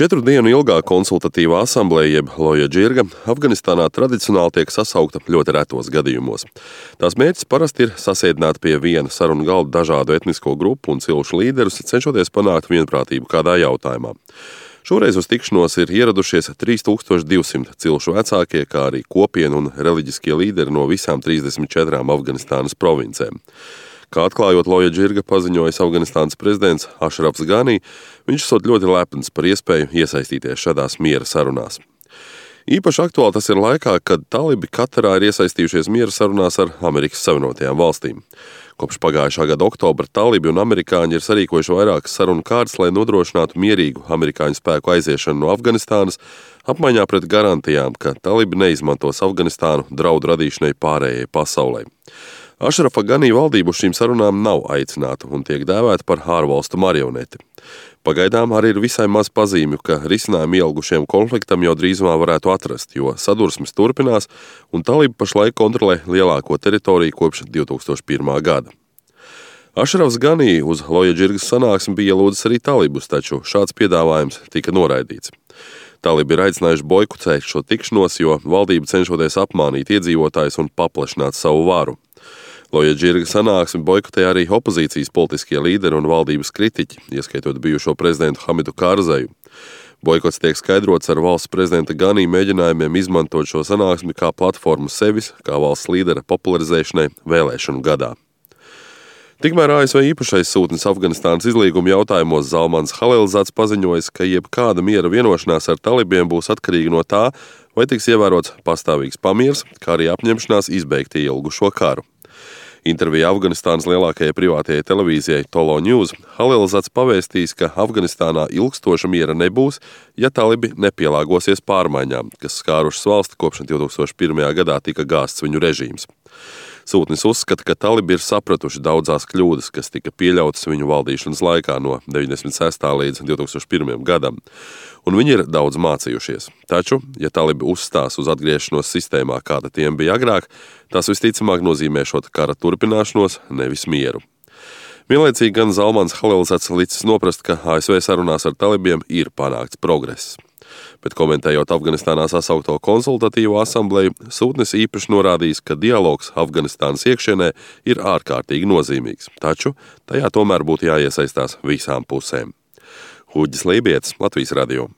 4 dienu ilgā konsultatīvā asambleja, jeb Loja Džirga, Afganistānā tradicionāli tiek sasaukta ļoti retos gadījumos. Tās mērķis parasti ir sasēdināt pie viena sarunu galda dažādu etnisko grupu un cilšu līderus, cenšoties panākt vienprātību kādā jautājumā. Šoreiz uz tikšanos ir ieradušies 3200 cilšu vecākie, kā arī kopienu un reliģiskie līderi no visām 34 Afganistānas provincēm. Kā atklājot Loja Džirga paziņojis Afganistānas prezidents Ašrafs Ganī, viņš esot ļoti lepns par iespēju iesaistīties šādās miera sarunās. Īpaši aktuāli tas ir laikā, kad talibi Katarā ir iesaistījušies miera sarunās ar Amerikas Savienotajām valstīm. Kopš pagājušā gada oktobra talibi un amerikāņi ir sarīkojuši vairākas sarunu kārtas, lai nodrošinātu mierīgu amerikāņu spēku aiziešanu no Afganistānas, apmaiņā pret garantijām, ka talibi neizmantos Afganistānu draudu radīšanai pārējai pasaulē. Ašrafa Ganī valdību šīm sarunām nav aicināta un tiek dēvēta par ārvalstu marioneti. Pagaidām arī ir visai maz pazīmju, ka risinājumu ielgušiem konfliktam jau drīzumā varētu atrast, jo sadursmes turpinās un talibi pašlaik kontrolē lielāko teritoriju kopš 2001. gada. Ašrafs Ganī uz Loja Džirgas sanāksmi bija ielūdzis arī talibus, taču šāds piedāvājums tika noraidīts. Talibi ir aicinājuši boikotēt šo tikšanos, jo valdība cenšoties apmānīt iedzīvotājus un paplašināt savu varu. Loja Džirga sanāksmi boikotēja arī opozīcijas politiskie līderi un valdības kritiķi, ieskaitot bijušo prezidentu Hamidu Karzaiju. Boikots tiek skaidrots ar valsts prezidenta Ganī mēģinājumiem izmantot šo sanāksmi kā platformu sevis, kā valsts līdera popularizēšanai vēlēšanu gadā. Tikmēr ASV īpašais sūtnis Afganistānas izlīguma jautājumos Zalmans Halilzads paziņojis, ka jebkāda miera vienošanās ar talibiem būs atkarīga no tā, vai tiks ievērots pastāvīgs pamiers, kā arī apņemšanās izbeigt ilgušo karu. Intervijā Afganistānas lielākajai privātajai televīzijai Tolo News Halilzads pavēstījis, ka Afganistānā ilgstoša miera nebūs, ja talibi nepielāgosies pārmaiņām, kas skārušas valsti kopš 2001. gadā tika gāsts viņu režīms. Sūtnis uzskata, ka talibi ir sapratuši daudzās kļūdas, kas tika pieļautas viņu valdīšanas laikā no 96. līdz 2001. gadam, un viņi ir daudz mācījušies. Taču, ja talibi uzstās uz atgriešanos sistēmā, kāda tiem bija agrāk, tas visticamāk nozīmēšot kara turpināšanos, nevis mieru. Vienlaicīgi gan Zalmans Halilzads licis noprast, ka ASV sarunās ar talibiem ir panākts progress. Bet komentējot Afganistānā sasaukto konsultatīvo asambleju, sūtnis īpaši norādījis, ka dialogs Afganistānas iekšienē ir ārkārtīgi nozīmīgs, taču tajā tomēr būtu jāiesaistās visām pusēm. Huģis Lībietis, Latvijas radio.